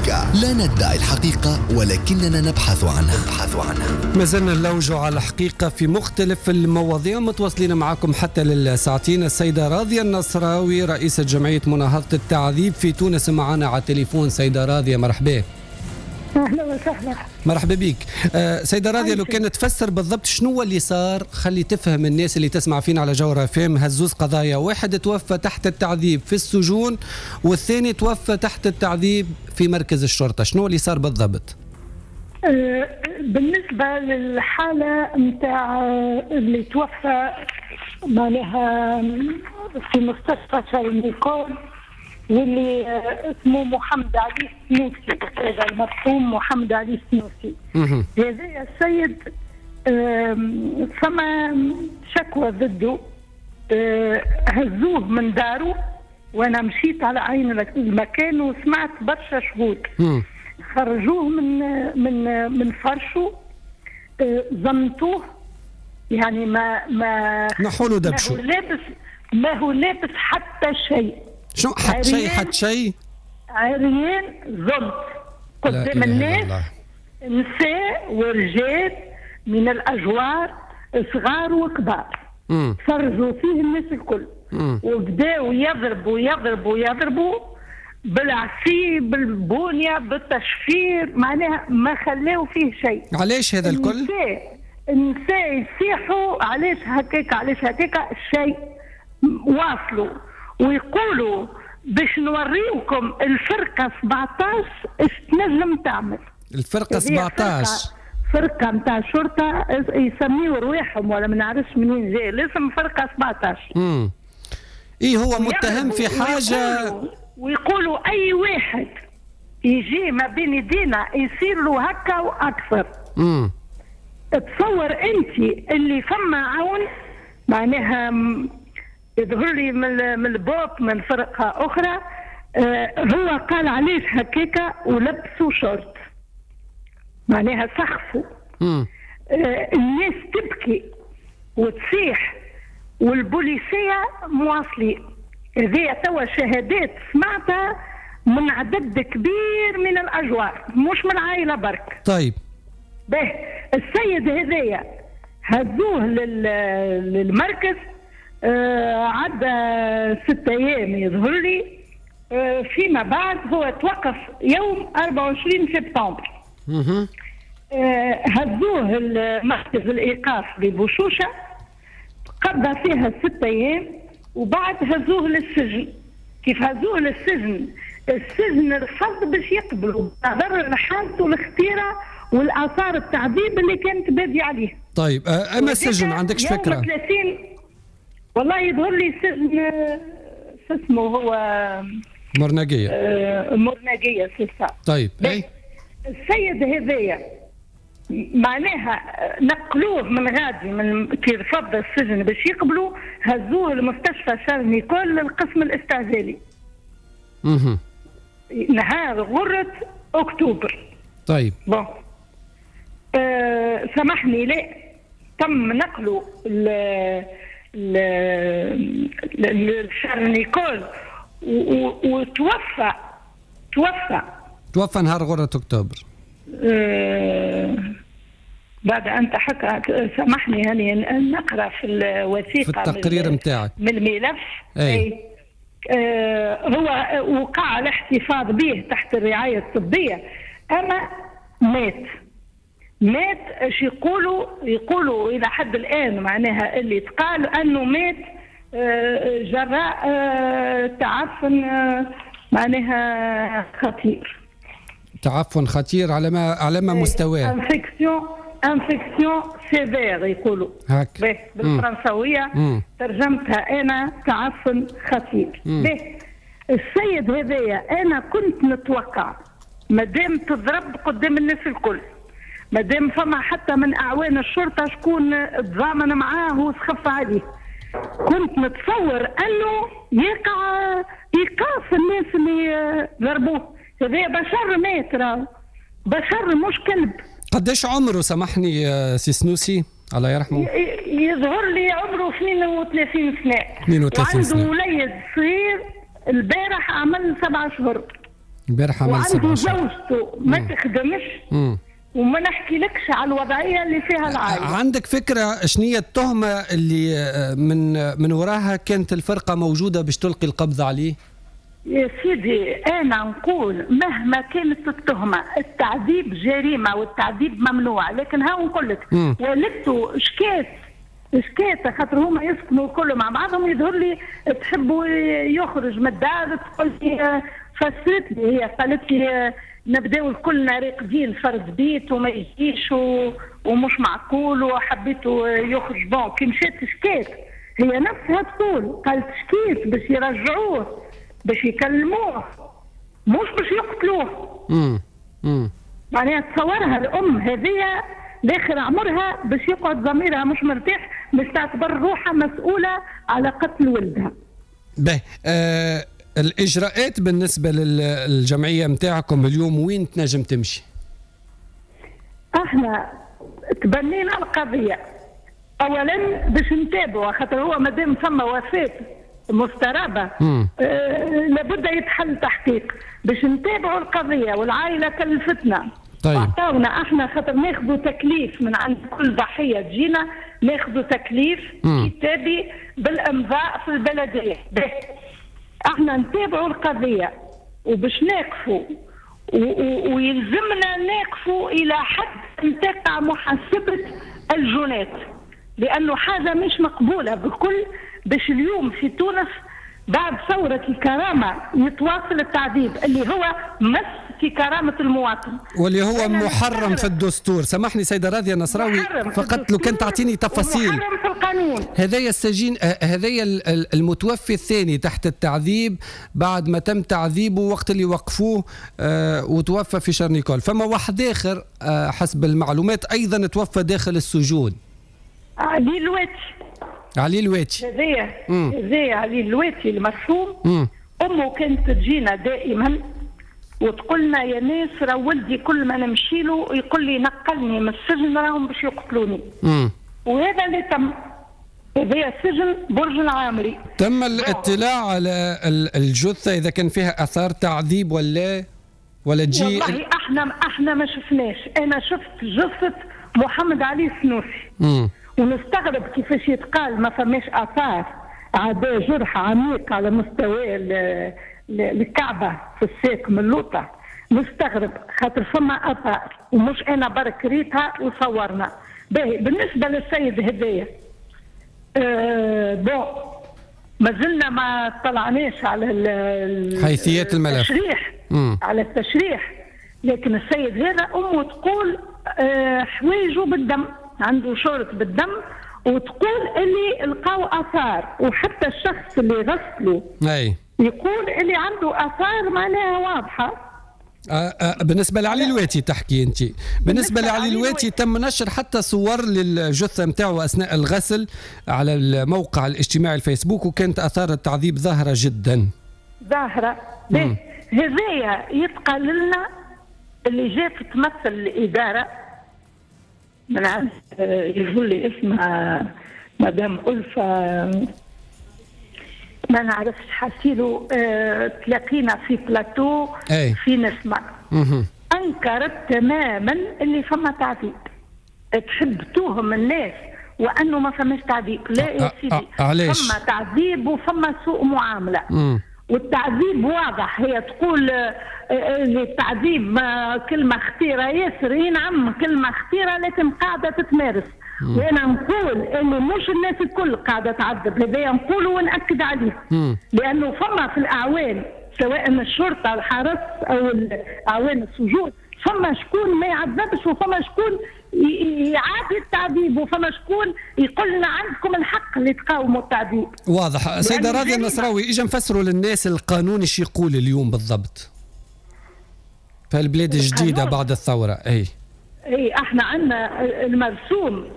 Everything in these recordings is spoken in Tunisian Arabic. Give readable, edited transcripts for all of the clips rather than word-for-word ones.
مزيكا. لا ندعي الحقيقة ولكننا نبحث عنها. ما زلنا نلوجوا على الحقيقة في مختلف المواضيع، متواصلين معكم حتى للساعتين. السيدة راضية النصراوي رئيسة جمعية مناهضة التعذيب في تونس معنا على التليفون. سيدة راضية مرحبا. اهلا وسهلا. مرحبا بك. سيدة راضية، لو كانت تفسر بالضبط شنو اللي صار، خلي تفهم الناس اللي تسمع فينا على جوهرة FM. هالزوز قضايا، واحد توفى تحت التعذيب في السجون والثاني توفى تحت التعذيب في مركز الشرطة، شنو اللي صار بالضبط؟ بالنسبة للحالة نتاع اللي توفى معناها في مستشفى شارل نيكول واللي اسمه محمد علي السنوسي، هذا المرحوم محمد علي السنوسي. هذا السيد فما شكوى ضده، هزوه من داره وانا مشيت على عين المكان وسمعت برشا شهود. خرجوه من من من فرشه، زمتوه، يعني ما نحولوا دبشو، ما هو لابس حتى شيء. شو حتى شيء؟ حتى شيء، عريان زلط قدام الناس، نساء ورجال من الاجوار، صغار وكبار، فرجوا فيه الناس الكل. وبداوا يضربوا يضربوا يضربوا بالعصي بالبونيه بالتشفير، معناها ما خلاو فيه شيء. علاش هذا الكل؟ النساء يصيحوا علاش هكاك علاش هكاك، شيء. واصلوا ويقولوا باش نوريوكم الفرقة 17 اش تنجم تعمل. الفرقة 17 فرقه نتاع شرطه يسميو رواحهم ولا ما نعرفش منين جاي الاسم، فرقه 17. ايه هو متهم في حاجة، ويقولوا اي واحد يجي ما بين يدينا يصير له هكا واكثر. تصور انت اللي فما عون معناها يظهر لي من البوب من فرقه اخرى، هو قال علاش هكاكا ولبسوا شورت، معناها سخفوا. الناس تبكي وتصيح والبوليسيه مواصلين. هذه توا شهادات سمعتها من عدد كبير من الاجوار، مش من العائلة برك. طيب به السيد هذايا هزوه للمركز، عدى 6 أيام يظهر لي. فيما بعد هو توقف يوم 24 سبتمبر. هزوه لمركز الايقاف ببوشوشه، قضى فيها 6 أيام وبعد هزوه للسجن. كيف هزوه للسجن، السجن رفض باش يقبلوا نظرا لحالته الخطيرة والاثار التعذيب اللي كانت باديه عليه. طيب اما السجن عندكش فكرة؟ 30 والله يظهر لي سجن اسمه هو مرناقيه. مرناقيه c'est ça. طيب اي السيد هذايا معناها نقلوه من غادي، من كي رفض السجن باش يقبلوا هزوه لمستشفى شارل نيكول للقسم الاستعجالي. نهار غرة اكتوبر. طيب bon سامحني، لا تم نقله لشارل نيكول وتوفى. توفى نهار غرة اكتوبر. بعد ان تحكى، سامحني يعني نقرا في الوثيقة في التقرير نتاعك من الملف. اي هو وقع الاحتفاظ به تحت الرعاية الطبية، اما مات. اش يقولوا الى حد الان معناها اللي تقال انه مات جراء تعفن معناها خطير. تعفن خطير على ما مستواه؟ infection sévère يقولوا هاك بالفرنساويه. ترجمتها انا تعفن خطير. السيد هذايا انا كنت نتوقع مادام تضرب قدام الناس الكل، مادام فما حتى من اعوان الشرطة شكون تضامن معاه وسخف عليه، كنت نتصور انه يقع ايقاف الناس اللي ضربوه. هذا بشر مات، راه بشر مش كلب. قداش عمره سامحني سي سنوسي الله يرحمه؟ يظهر لي عمره 32 سنة. 32 سنة. وعنده وليد صغير البارح عمل 7 شهور. البارح عمل وعنده زوجته ما تخدمش. وما نحكي لكش على الوضعية اللي فيها العائلة. عندك فكرة شنية التهمة اللي من وراها كانت الفرقة موجودة باش تلقي القبض عليه؟ يا سيدي انا نقول مهما كانت التهمة، التعذيب جريمة والتعذيب ممنوع، لكن ها نقول لك والدته شكات خاطر هما يسكنوا كل مع بعضهم، يظهر لي تحبوا يخرج من الدار، تقول لي فسرت لي هي، قالت لي نبداو كلنا راقدين فرد بيت وما يجيش ومش معقول وحبيته يخرج. bon كي مشات شكات هي نفسها تقول، قالت شكيت باش يرجعوه، باش يكلموه، مش باش يقتلوه. معناها تصورها الام هذه داخل عمرها باش يقعد ضميرها مش مرتاح، باش تعتبر روحها مسؤولة على قتل ولدها. باهي، الاجراءات بالنسبة للجمعية نتاعكم اليوم وين تنجم تمشي؟ احنا تبنينا القضية اولا باش نتابعوا، خاطر هو مادام ثم وفاه مسترابه لابد يتحل تحقيق باش نتابعوا القضية، والعائلة كلفتنا. طيب. عطاونا احنا خاطر ناخذوا تكليف من عند كل ضحية تجينا، ناخذوا تكليف كتابي بالامضاء في البلدية. احنا نتابعوا القضية وباش ناقفوا ويلزمنا ناقفوا الى حد ان تقع محاسبه الجنات، لانه حاجة مش مقبولة بالكل باش اليوم في تونس بعد ثورة الكرامة يتواصل التعذيب اللي هو مس في كرامة المواطن واللي هو محرم في الدستور. سامحني سيدة راضية النصراوي، فقط لو كان تعطيني تفاصيل. محرم في القانون. هذايا السجين، هذايا المتوفي الثاني تحت التعذيب بعد ما تم تعذيبه وقت اللي وقفوه وتوفى في شارنيكول. فما واحد آخر حسب المعلومات أيضا توفى داخل السجون. علي الواتي. علي الواتي هذايا علي الواتي المرحوم. امه كانت تجينا دائما وتقولنا يا ناس راه ولدي كل ما نمشي له يقول لي نقلني من السجن راهم باش يقتلوني. وهذا اللي تم. هذا السجن برج العامري. تم الاطلاع على الجثة اذا كان فيها اثار تعذيب ولا تجي؟ والله احنا ما شفناش. انا شفت جثة محمد علي السنوسي. ونستغرب كيفاش يتقال ما فماش اثار، عدا جرح عميق على مستوى الكعبة في الساق من اللوطه. نستغرب خاطر فما اثار ومش انا برك ريتها وصورنا. باهي بالنسبة للسيد هدايا bon مازلنا ما طلعناش على حيثيات الملف، التشريح. على التشريح، لكن السيد هذا امه تقول حوايجه بالدم، عنده شورت بالدم، وتقول اللي لقاو اثار، وحتى الشخص اللي غسله يقول اللي عنده اثار معناها واضحة. بالنسبة لعلي الواتي تحكي انت. بالنسبة لعلي الواتي تم نشر حتى صور للجثه نتاعو اثناء الغسل على الموقع الاجتماعي الفيسبوك، وكانت اثار التعذيب ظاهره جدا. ظاهره. هذايا يتقال لنا اللي جات تمثل الادارة من عند يقول لي اسمها مدام ألفة ما نعرفش حاسيلو، تلاقينا في بلاتو في نسمة. أنكرت تماما اللي فما تعذيب، تحب توهم الناس وأنه ما فماش تعذيب. لا يا سيدي، فما تعذيب وفما سوء معاملة. والتعذيب واضح. هي تقول التعذيب كلمة خطيرة ياسر. اي نعم كلمة خطيرة، لكن قاعدة تتمارس. وانا نقول انه مش الناس الكل قاعدة تعذب، هذايا نقوله ونأكد عليه. لانه فما في الاعوان سواء الشرطة الحرس او اعوان السجون، فما شكون ما يعذبش وفما شكون يعادي التعذيب وفما شكون يقول لنا عندكم الحق اللي تقاوموا التعذيب. واضح. سيدة راضية النصراوي، اجا نفسروا للناس القانون ايش يقول اليوم بالضبط في البلاد الجديدة بعد الثورة. اي احنا عندنا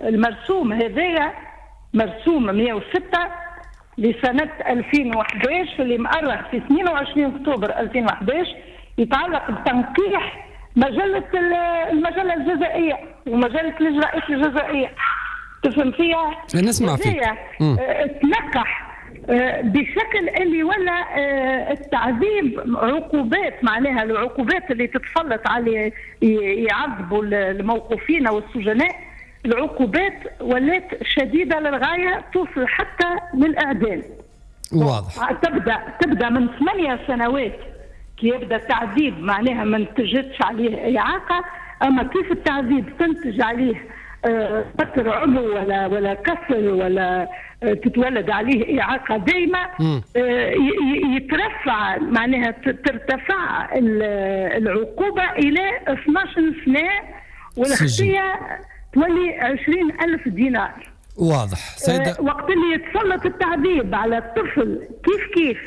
المرسوم هذايا مرسوم 106 لسنة 2011 اللي مؤرخ في 22 اكتوبر 2011، يتعلق بتنقيح المجلة الجزائية ومجلة الإجراءات الجزائية. تفهم فيها؟ نسمع فيك. تنقح بشكل اللي ولا التعذيب عقوبات، معناها العقوبات اللي تتسلط على يعذبوا الموقوفين او السجناء، العقوبات ولات شديدة للغاية، توصل حتى للاعدام. واضح. تبدا من 8 سنوات كي يبدا التعذيب، معناها ما نتجتش عليه اعاقه، اما كيف التعذيب تنتج عليه بتر عضو ولا كسر ولا تتولد عليه اعاقه دايمه، يترفع معناها ترتفع العقوبة الى 12 سنة، والخطيه تولي 20,000 دينار. واضح سيدة. وقت اللي يتسلط التعذيب على الطفل كيف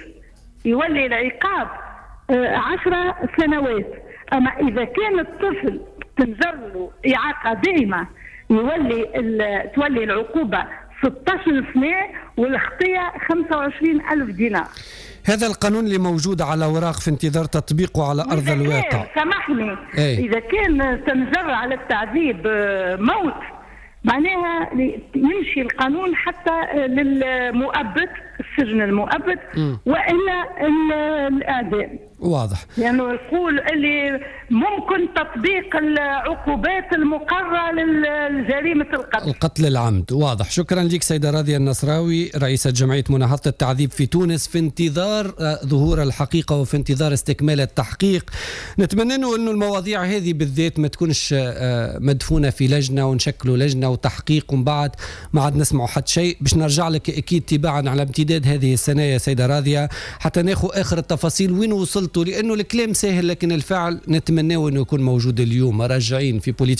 يولي العقاب 10 سنوات، اما اذا كان الطفل تنجر له اعاقه دائمة يولي تولي العقوبة 16 سنة والخطيه 25,000 دينار. هذا القانون اللي موجود على اوراق في انتظار تطبيقه على ارض الواقع. سامحني، اذا كان تنجر على التعذيب موت، معناها يمشي القانون حتى للمؤبد، السجن المؤبد والا الاعدام. واضح. لانه يعني يقول اللي ممكن تطبيق العقوبات المقررة لجريمة القتل، القتل العمد. واضح. شكرا لك سيده راضية النصراوي، رئيسه جمعية مناهضه التعذيب في تونس، في انتظار ظهور الحقيقة وفي انتظار استكمال التحقيق. نتمنى انه المواضيع هذه بالذات ما تكونش مدفونة في لجنة ونشكلوا لجنة وتحقيق ومن بعد ما عاد نسمعوا حتى شيء. باش نرجع لك اكيد تباعا على امتداد هذه السنة يا سيده راضية حتى ناخذ اخر التفاصيل وين وصلتوا، لانه الكلام سهل لكن الفعل نتمناه انه يكون موجود اليوم. راجعين في بوليتيك.